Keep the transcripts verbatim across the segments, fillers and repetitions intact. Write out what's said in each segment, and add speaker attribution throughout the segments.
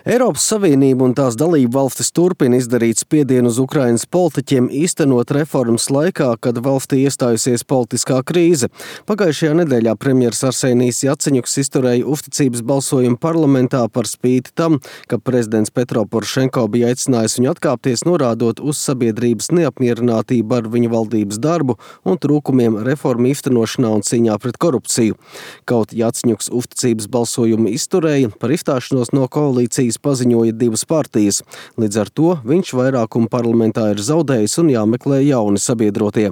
Speaker 1: Eiropas Savienība un tās dalību valstis turpina izdarīt spiedienu uz Ukrainas politiķiem īstenot reformas laikā, kad valstī iestājusies politiskā krīze. Pagājušajā nedēļā premjers Arsenijs Jaceņuks izturēja uzticības balsojumu parlamentā par spīti tam, ka prezidents Petro Porošenko bija aicinājis viņu atkāpties, norādot uz sabiedrības neapmierinātību ar viņa valdības darbu un trūkumiem reformu īstenošanā un cīņā pret korupciju. Kaut Jaceņuks uzticības balsojumu izturēja, par izstāšanos no koalīcijas paziņoja divas partijas. Līdz ar to viņš vairākumu parlamentā ir zaudējis un jāmeklē jauni sabiedrotie.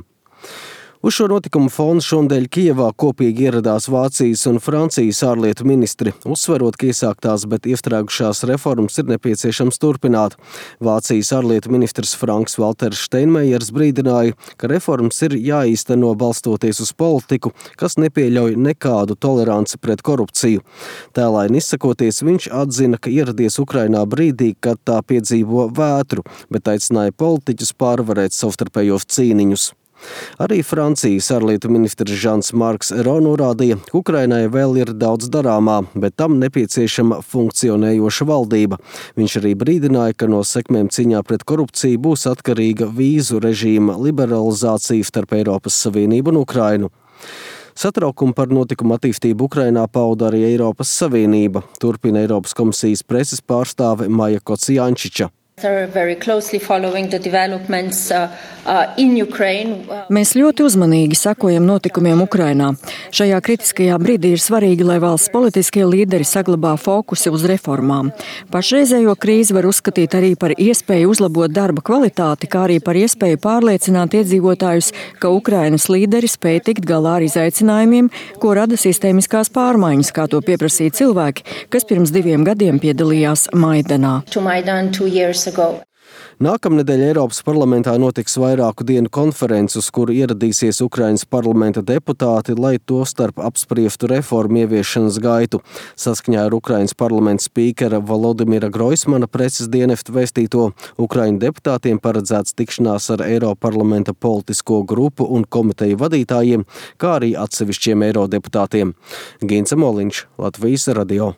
Speaker 1: Uz šo notikumu fonu šonadēļ Kijevā kopīgi ieradās Vācijas un Francijas ārlietu ministri, uzsverot, ka iesāktās, bet iestrēgušās reformas ir nepieciešams turpināt. Vācijas ārlietu ministrs Franks Valters Steinmeiers brīdināja, ka reformas ir jāīsteno balstoties uz politiku, kas nepieļauj nekādu toleranci pret korupciju. Tēlaini izsakoties, viņš atzina, ka ieradies Ukrainā brīdī, kad tā piedzīvo vētru, bet aicināja politiķus pārvarēt savstarpējos cīniņus. Arī Francijas ārlietu ministrs Žans Marks Ero norādīja, ka Ukrainai vēl ir daudz darāmā, bet tam nepieciešama funkcionējoša valdība. Viņš arī brīdināja, ka no sekmēm cīņā pret korupciju būs atkarīga vīzu režīma liberalizācija starp Eiropas Savienību un Ukrainu. Satraukumu par notikumu attīstību Ukrainā pauda arī Eiropas Savienība, turpina Eiropas komisijas preses pārstāve Maja Kocijančiča.
Speaker 2: Mēs ļoti uzmanīgi sekojam notikumiem Ukrainā. Šajā kritiskajā brīdī ir svarīgi, lai valsts politiskie līderi saglabā fokusi uz reformām. Pašreizējo krīzi var uzskatīt arī par iespēju uzlabot darba kvalitāti, kā arī par iespēju pārliecināt iedzīvotājus, ka Ukrainas līderi spēj tikt galā ar izaicinājumiem, ko rada sistēmiskās pārmaiņas, kā to pieprasīja cilvēki, kas pirms diviem gadiem piedalījās Maidanā.
Speaker 1: Nākamnedēļ Eiropas parlamentā notiks vairāku dienu konferences, uz kuru ieradīsies Ukrainas parlamenta deputāti, lai to starp apspriestu reformu ieviešanas gaitu. Saskaņā ar Ukrainas parlamenta spīkera Volodimira Groismana preses dienesta vēstīto, Ukraiņu deputātiem paredzēts tikšanās ar Eiroparlamenta politisko grupu un komiteju vadītājiem, kā arī atsevišķiem eirodeputātiem. Gints Moliņš, Latvijas radio.